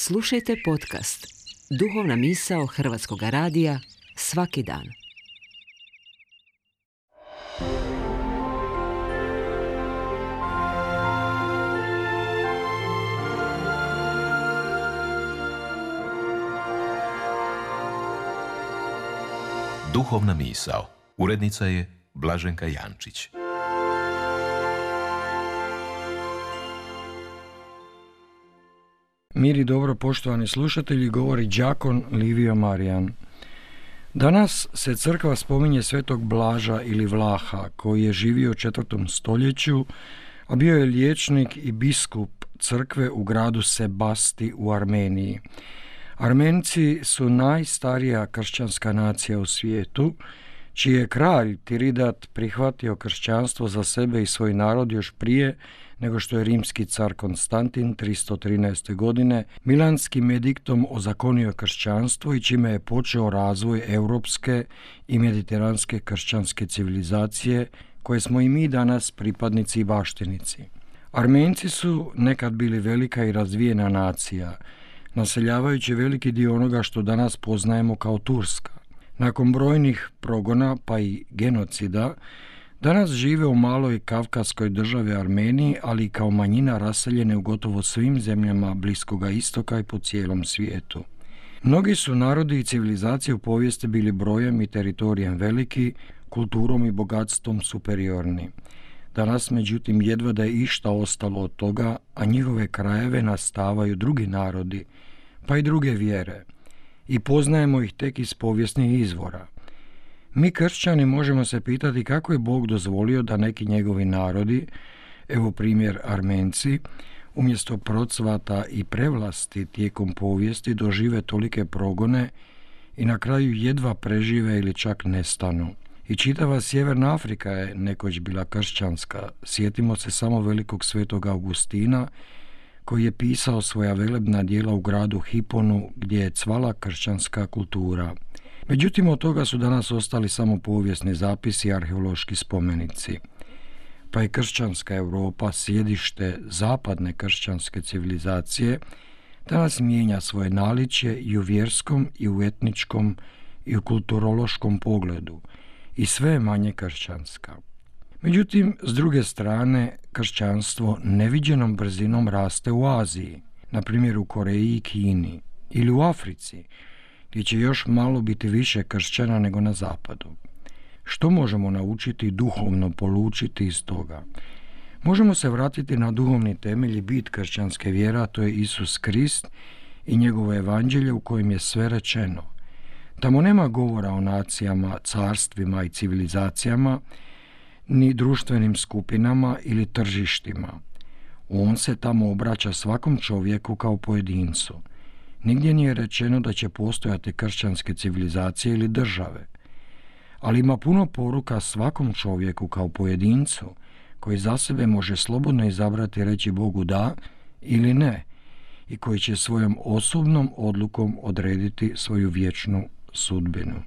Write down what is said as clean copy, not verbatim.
Slušajte podcast Duhovna misao Hrvatskog radija svaki dan. Duhovna misao. Urednica je Blaženka Jančić. Mir i dobro, poštovani slušatelji, govori đakon Livio Marijan. Danas se crkva spominje svetog Blaža ili Vlaha, koji je živio u 4. stoljeću, a bio je liječnik i biskup crkve u gradu Sebasti u Armeniji. Armenci su najstarija kršćanska nacija u svijetu, čiji je kralj Tiridat prihvatio kršćanstvo za sebe i svoj narod još prije nego što je rimski car Konstantin 313. godine milanskim ediktom ozakonio kršćanstvo i čime je počeo razvoj europske i mediteranske kršćanske civilizacije koje smo i mi danas pripadnici i baštinici. Armenci su nekad bili velika i razvijena nacija, naseljavajući veliki dio onoga što danas poznajemo kao Turska. Nakon brojnih progona pa i genocida, danas žive u maloj kavkaskoj državi Armeniji, ali i kao manjina raseljene u gotovo svim zemljama Bliskoga istoka i po cijelom svijetu. Mnogi su narodi i civilizacije u povijesti bili brojem i teritorijem veliki, kulturom i bogatstvom superiorni. Danas, međutim, jedva da je išta ostalo od toga, a njihove krajeve nastavaju drugi narodi, pa i druge vjere, i poznajemo ih tek iz povijesnih izvora. Mi kršćani možemo se pitati kako je Bog dozvolio da neki njegovi narodi, evo primjer Armenci, umjesto procvata i prevlasti tijekom povijesti dožive tolike progone i na kraju jedva prežive ili čak nestanu. I čitava Sjeverna Afrika je nekoć bila kršćanska. Sjetimo se samo velikog svetog Augustina, koji je pisao svoja velebna djela u gradu Hiponu, gdje je cvala kršćanska kultura. Međutim, od toga su danas ostali samo povijesni zapisi i arheološki spomenici. Pa je kršćanska Europa, sjedište zapadne kršćanske civilizacije, danas mijenja svoje naličje i u vjerskom, i u etničkom, i u kulturološkom pogledu, i sve je manje kršćanska. Međutim, s druge strane, kršćanstvo neviđenom brzinom raste u Aziji, na primjer u Koreji i Kini, ili u Africi, gdje će još malo biti više kršćana nego na zapadu. Što možemo naučiti i duhovno polučiti iz toga? Možemo se vratiti na duhovni temelj i bit kršćanske vjere, a to je Isus Krist i njegovo evanđelje u kojem je sve rečeno. Tamo nema govora o nacijama, carstvima i civilizacijama, ni društvenim skupinama ili tržištima. On se tamo obraća svakom čovjeku kao pojedincu. Nigdje nije rečeno da će postojati kršćanske civilizacije ili države, ali ima puno poruka svakom čovjeku kao pojedincu, koji za sebe može slobodno izabrati reći Bogu da ili ne i koji će svojom osobnom odlukom odrediti svoju vječnu sudbinu.